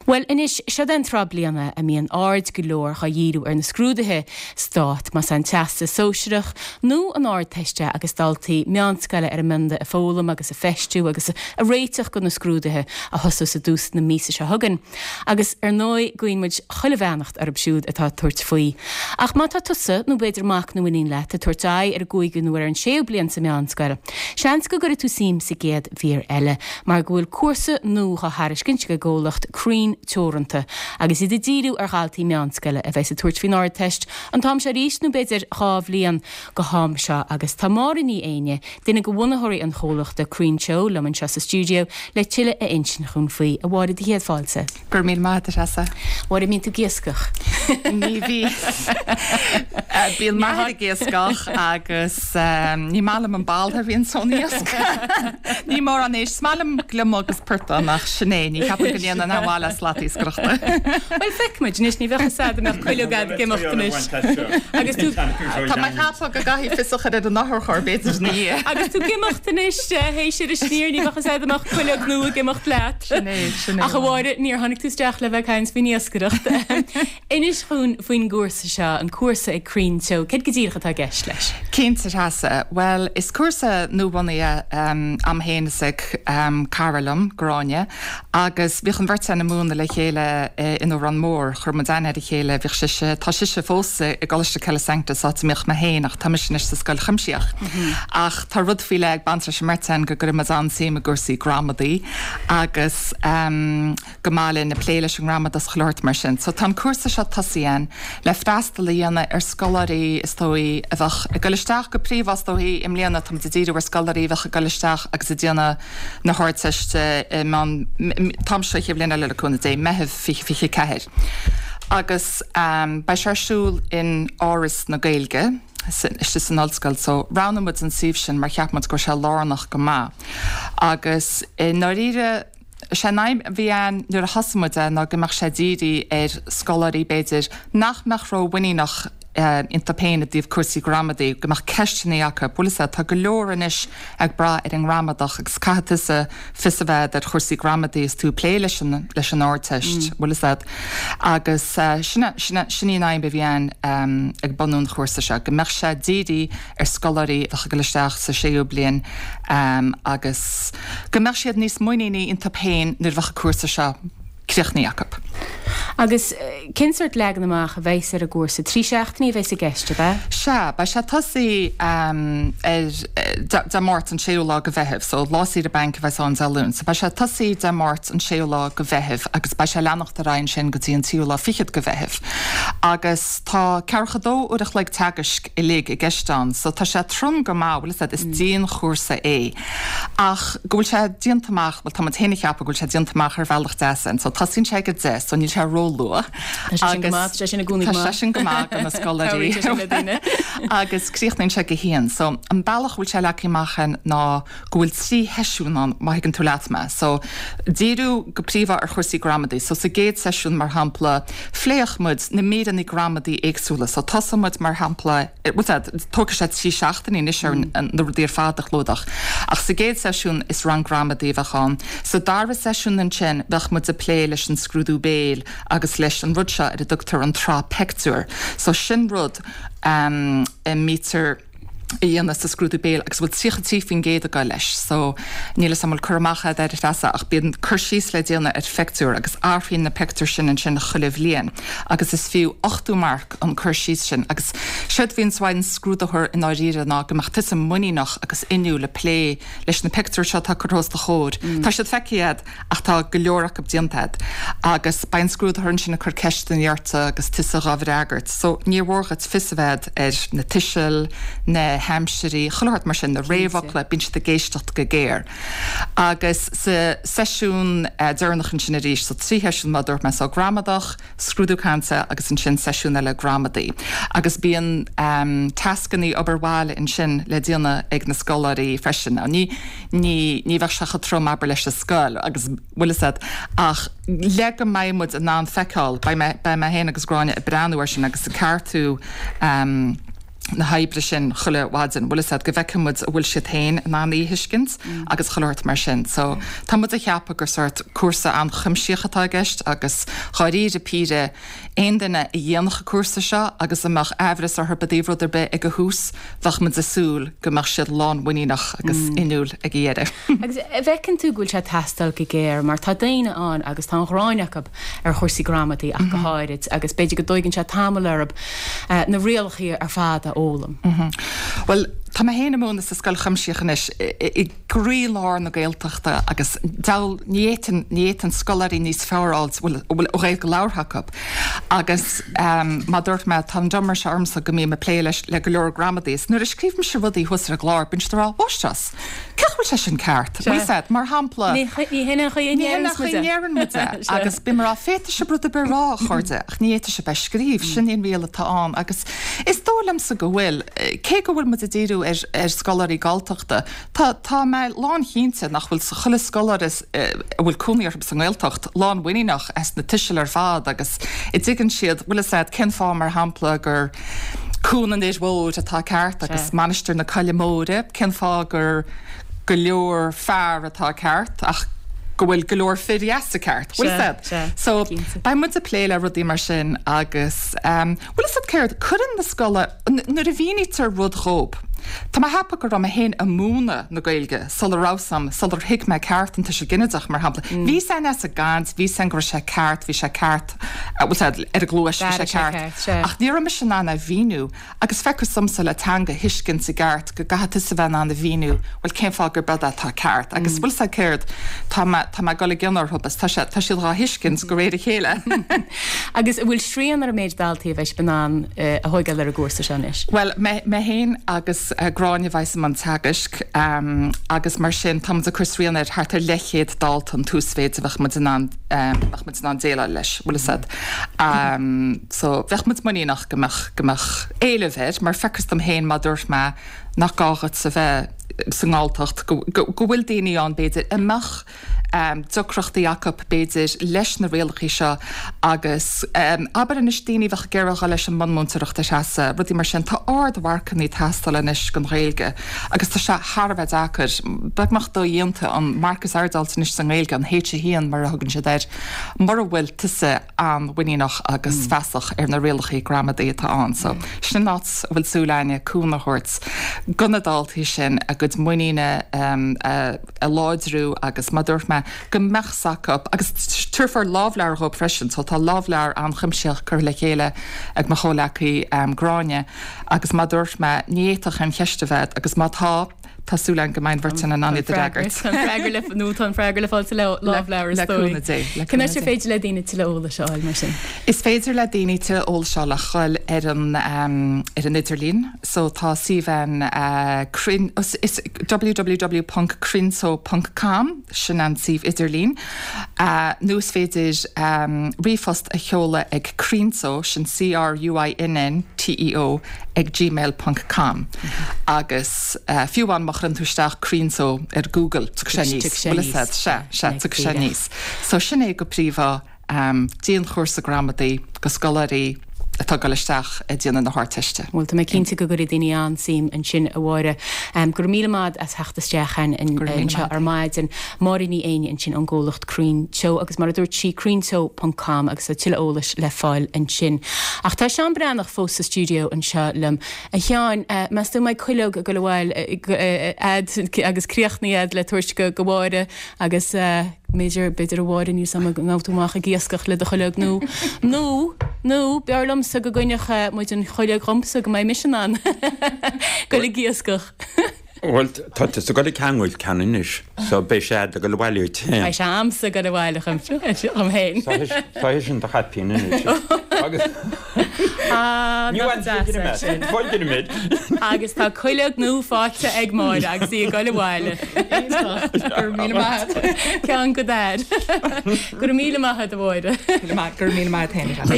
Bhuel, anois, seod é an tráth bliana a mbíonn aird go leor dhá dhíriú ar na scrúduithe stáit, más é an Teastas Sóisearach nó an Ardteist é agus daltaí meánscoile ar a mbionda ag foghlaim agus ag feistiú agus ag réiteach do na scrúduithe a thosós i dtús na míosa seo chugainn. Agus ar ndóigh guíonn muid chuile bheannacht orthu siúd atá ag tabhairt faoi. Ach má tá tusa, nó b'fhéidir mac nó iníon leat, ag tabhairt aghaidh ar an gcúigiú nó ar an séú bliain sa mheánscoil, seans go gcuirfidh tú suim sa gcéad mhír eile, mar go bhfuil cúrsa nua dhá thairiscint ag an gcomhlacht Cruinn Teoranta, agus iad ag díriú ar dhaltaí meánscoile a bheas ag tabhairt faoin Ardteist an t-am seo arís nó b'fhéidir 2 bhliain go ham seo. Agus tá Máire Ní Éinne, duine de bhunaitheoirí an chomhlachta Cruinn Teo, liom anseo sa stiúideo le tuilleadh a insint dhúinn faoi. A Mháire, do chéad fáilte. Go raibh míle maith agat, a Threasa. Mháire, an mbíonn tú ag iascach? Ní bhíonn. Bíonn m'athair ag iascach agus ní maith liom an boladh a bhíonn ón iasc. Ní mórán éisc. Is maith liom gliomach agus portán ach sin é, ní cheapaim go ndéanann aon mhaith le slat iascaireachta. Bhuel, feicfidh muid anois, ní bheadh fhios a'd an mbeadh cuileog a'd ag imeacht anois. Agus tú. Tá mé ag ceapadh go gcaithfidh fios a chur ar an otharcharr b'fhéidir ina dhiaidh. Agus tú ag imeacht anois, théis Inis Oírr, ní bheadh fhios a'd an mbeadh cuileog nua ag imeacht leat. Sin é, sin é. Ach a Mháire, níor tháinig tú isteach le bheith ag caint faoin iascaireacht. Inis dhúinn faoin gcúrsa seo, an cúrsa ag Cruinn Teo. Céard go díreach atá i gceist leis? Cinnte, a Threasa. Bhuel, is cúrsa nuabhunaithe a'm féin is ag cara liom, Gráinne, agus bhíodh an bheirt againn ag múineadh le chéile in Órán Mór. Chuir muid aithne ar a chéile, bhíodh sise, tá sise fós i gColáiste Coille Sanctus, áit a mbíodh mé féin ach tá mise anois sa Scoil Chuimsitheach. Ach tá rud faoi leith ag baint leis an mbeirt againn go gcuireann muid an-suim i gcúrsaí gramadaí agus go maith linn ag plé leis an ngramadach is chuile shórt mar sin. So tá an cúrsa seo tosaithe againn le freastal a dhéanamh ar scoláirí is dóigh a bheadh ag dul isteach go príomha is dóigh i mbliana tá muid ag díriú ar scoláirí a bheadh ag dul isteach agus ag déanamh na hArdteiste i meán an t-am seo chéad bhliain eile le cúnamh Dé, Meitheamh 2024. Agus beidh sé ar siúl in Áras na Gaeilge. istigh san ollscoil so roghnaigh muid an suíomh sin mar cheap muid go raibh sé lárnach go maith agus i ndáiríre is é an aidhm a bhí ann nuair a thosaigh muid é ná go mbeadh sé dírithe ar scoláirí b'fhéidir nach mbeadh ró-mhuiníneach iontu féin i dtaobh cúrsaí gramadaí, go mbeadh ceisteanna acu. Bhfuil fhios a'd, tá go leor anois ag brath ar an ngramadach agus caithfidh tusa fios a bheith a'd ar chúrsaí gramadaí is tú ag plé leis an, leis an Ardteist, bhfuil fhios a'd. Agus sin, sin, sin í an aidhm a bhí ann ag bunú an chúrsa seo, go mbeadh sé dírithe ar scoláirí a bheadh ag dul isteach sa séú bliain agus go mbeadh siad níos muiníní iontu féin nuair a bheadh an cúrsa seo críochnaithe acu. Agus cén sórt leagan amach a bheas ar an gcúrsa? 3 seachtainí a bheas i gceist, ab ea? Sea, beidh sé ag tosaí ar Dé Máirt an séú lá de Mheitheamh, so lá saoire bainc a bheas ann Dé Luain. So beidh sé ag tosaí Dé Máirt an séú lá de Mheitheamh agus beidh sé ag leanacht ar aghaidh ansin go dtí an tríú lá fichead de Mheitheamh. Agus tá ceathracha dó uair a chloig teagaisc uilig i gceist ann, so tá sé trom go maith, bhfuil fhios a'd, is dianchúrsa é. Ach go bhfuil sé déanta amach, bhuel tá muid féin ag ceapadh go bhfuil sé déanta amach ar bhealach deas ann. So tosaíonn sé ag a 10, so níl sé róluath. Tá sé sin go maith, tá sé sin i gcónaí go maith. Tá sé sin go maith do na scoláirí. Cabhraíonn sé sin le daoine. Agus críochnaíonn sé ag a haon. So an bealach a bhfuil sé leagtha amach ann ná go bhfuil 3 sheisiún ann, má thuigeann tú leat mé. So díriú go príomha ar chúrsaí gramadaí. So sa gcéad seisiún mar shampla, phléifeadh muid na míreanna gramadaí éagsúla. So tosóidh muid mar shampla, bhfuil fhios a'd, tógfaidh sé 3 seachtainí anois ar na rudaí ar fad a chlúdach. Ach sa gcéad seisiún is rang gramadaí a bheadh ann. Sa dara seisiún ansin bheadh muid ag plé leis an scrúdú béil agus leis an rud seo ar a dtugtar an tsraith peictiúr. So sin rud a mbítear a dhéanamh sa scrúdú béil agus a bhfuil 33% ag dul leis. So níl 'fhios a'm an bhfuil cur amach a'd air a Threasa ach bíonn cur síos le déanamh ar phictiúr agus athraíonn na pictiúir sin ansin chuile bhliain agus is fiú 80 marc an cur síos sin agus séard a bhíonns uaidh an scrúdaitheoir i ndáiríre ná go mbeadh tusa muiníneach agus inniúil ag plé leis na pictiúir seo atá curtha os do chomhair. Tá siad feicthe a'd ach tá go leor acu déanta a'd agus beidh an scrúdaitheoir ansin ag cur ceisteanna ort agus tusa dhá bhfreagairt. So níor mhór dhuit fios a bheith a'd ar na tuisil, na haimsirí, chuile shórt mar sin, na réamhfhocla, bíonn siad ag éisteacht go géar. Agus sa seisiún deireanach ansin arís, so 3 sheisiún mar a dúirt mé, so gramadach, scrúdú cainte agus ansin seisiún eile gramadaí. Agus bíonn tascanna obair bhaile ansin le déanamh ag na scoláirí freisin. Now ní, ní, ní bheadh sé chomh trom abair leis an scoil agus bhfuil fhios a'd ach le go mbeidh muid in ann feiceáil, beidh mé, beidh mé féin agus Gráinne ag breathnú air sin agus ag ceartú. na hoibre sin chuile mhaidin, bhfuil fhios a'd, go bhfeicfidh muid an bhfuil siad féin in ann í a thuiscint agus chuile shórt mar sin. So, tá muid a cheapadh gur sórt cúrsa an-chuimsitheach atá i gceist agus dháiríre píre, aon duine a dhéanfadh an cúrsa seo agus a mbeadh aimhreas orthu i dtaobh rud ar bith ag an thús, bheadh muid ag súil go mbeadh siad lánmhuiníneach agus inniúil ag a dheireadh. Agus an bhfeiceann tú go bhfuil sé ag teastáil go géar mar tá daoine ann agus tá an ghráin acu ar chúrsaí gramadaí ach go háirid agus b'fhéidir go dtóigeann sé tamall orthu na rialacha ar fad a fhoghlaim. Bhuel, tá mé féin ag múineadh sa scoil chuimsitheach anois i gcroílár na Gaeltachta agus deabhal, ní fhéadfainn, ní fhéadfainn scoláirí níos fearr a fháilt a bhfuil an Ghaeilge labhartha acu agus mar a dúirt mé, tá an diomar seo ormsa go mbím ag plé leis, le go leor gramadaí is nuair a scríobhaimse rudaí thuas ar an gclár, bíonn siad ag rá, 'Mháistreás, Cén chaoi a bhfuil sé sin ceart? Bhfuil fhios a'd, mar shampla. Ní hin an chaoi a ndeireann muid é. Agus bím ag rá, féadfaidh sibh rud ar bith a rá, a chairde, ach ní fhéadfaidh sibh é a scríobh. Sin í an riail atá ann. Agus is dóigh liomsa go bhfuil, cé go bhfuil muid ag díriú ar ar scoláirí Galltachta, tá tá mé lánchinnte nach bhfuil chuile scoláire a bhfuil cónaí orthu sa nGaeltacht lánmhuiníneach as na tuisil ar fad agus a dtuigeann siad, bhfuil fhios a'd, cén fáth, mar shampla, gur Cuan an Fhir Mhóir atá ceart agus Mainistir na Coille Móire, cén fáth gur go leor fear atá ceart ach go bhfuil go leor fir dheasa ceart, bhfuil fhios a'd? So, beidh muid ag plé le rudaí mar sin agus, bhfuil fhios a'd céard, cuireann na scola, nuair a mhínítear rud dhób, tá mé a cheapadh go raibh mé féin ag múineadh na Gaeilge sula raibh 's a'm, sular thuig mé ceart an tuiseal ginideach, mar shampla. Bhí 's a'inn as an gcaint, bhí 's a'inn go raibh sé ceart, bhí sé ceart, bhfuil 's a'd, ar an gcluais, bhí sé ceart. Ach ní raibh mise in ann é a mhíniú. Agus feictear domsa le teanga a thuiscint i gceart go gcaithfidh tusa bheith in ann a mhíniú, bhuel, cén fáth gurb ead atá ceart. Agus bhfuil 's a'd céard, tá mé, tá mé ag dul i gcion orthu agus tá sé, tá siad dhá thuiscint de réir a chéile. Agus an bhfuil srian ar an méid daltaí a bheidh sibh in ann a thóigeáil ar an gcúrsa seo anois? Bhuel, mé, mé féin agus Gráinne a bheas i mbun teagaisc agus mar sin tá muid ag cur srian ar thart ar leathchéad dalta an t-uasmhéid a bheadh muid in ann, bheadh muid in ann déileáil leis, bhfuil 'fhios a'd. So, bheadh muid muiníneach go mbeadh, go mbeadh éileamh air, mar feictear dom féin, mar dúirt mé, nach gá dhuit a bheith sa nGalltacht, go, go, go bhfuil daoine ann, b'fhéidir, a mbeadh deacrachtaí acu, b'fhéidir, leis na rialachaí seo agus, abair anois, daoine a bheadh ag iarraidh dhul leis an mbunmhúinteoireacht ar Treasa, rudaí mar sin. Tá ardmharcanna ag teastáil anois don Ghaeilge agus tá sé thar a bheith deacair, beagnach dodhéanta an marc is airde a fháilt anois sa nGaeilge, an H1 mar a thugann siad air, mura bhfuil tusa an-mhuiníneach agus feasach ar na rialachaí gramadaí atá ann. So, sin an áit a bhfuil súil againne cúnamh a thabhairt do na daltaí sin a gcuid muiníne a a láidriú agus mar dúirt mé go mbeadh 's acu agus tabharfar lámhleabhar dhóibh freisin so tá lámhleabhar an-chuimsitheach curtha le chéile ag mo chomhleacaí Gráinne agus mar dúirt mé ní fhéadfadh aon cheist a bheith agus má tá tá súil agam go mbeidh an bheirt againn in ann iad a fhreagairt. Tá an freagra le nó tá an freagra le fáil sa lámhleabhar is dóigh. Le cúnamh Dé. Cén áit ar féidir le daoine tuilleadh eolais a fháil mar sin? Is féidir le daoine tuilleadh eolais a fháil ach dhul ar an ar an idirlíon. So tá suíomh ann cruinn, is www ponc cruinnteo ponc com, sin an suíomh idirlín, nó is féidir ríomhphost a sheoladh ag cruinnteo, sin C-R-U-I-N-N-T-E-O, ag gmail ponc com. Agus fiú amháin má chuireann tú isteach cruinnteo ar Google, tiocfaidh sé aníos. Bhfuil fhios a'd, sea, sea, tiocfaidh sé aníos. So sin é go príomha. Dianchúrsa gramadaí do scoláirí atá ag dul isteach ag déanamh na hArdteiste. Bhuel, tá mé cinnte go gcuirfidh daoine an-suim ansin, a Mháire. Go raibh míle maith as theacht isteach anseo ar maidin. Máire Ní Éinne ansin ón gcomhlacht Cruinn Teo agus mar a dúirt sí, cruinnteo ponc com agus tá tuilleadh eolais le fáil ansin. Ach tá Seán Breathnach fós sa stiúideo anseo liom. A Sheáin, meas tú an mbeidh cuileog ag dul abhaile a'd agus críochnaithe a'd le tabhairt go Mháire agus. B'fhéidir, b'fhéidir a Mháire, níl 's a'm an ngabhfaidh tú amach ag iascach le do chuileog nó, nó, nó, b'fhearr liomsa go gcoinneodh muid an chuileog dhomsa go mbeidh mise in ann goil ag iascach. Bhuel, tá tusa ag dul ag ceangal ceann anois, so beidh sé a'd ag dul abhaile duit féin. Beidh sé a'msa ag dul abhaile dhom féin. Tá sé sin do chaipín anois. Agus. Ah, nach deas é sin. Agus tá cuileog nua faighte ag Máire agus í ag dul abhaile. Iontach. Go raibh míle maith agat. Ceann go d'fhear. Go raibh míle maith agat, a Mháire. Go raibh míle maith agat féin, a Sheáin.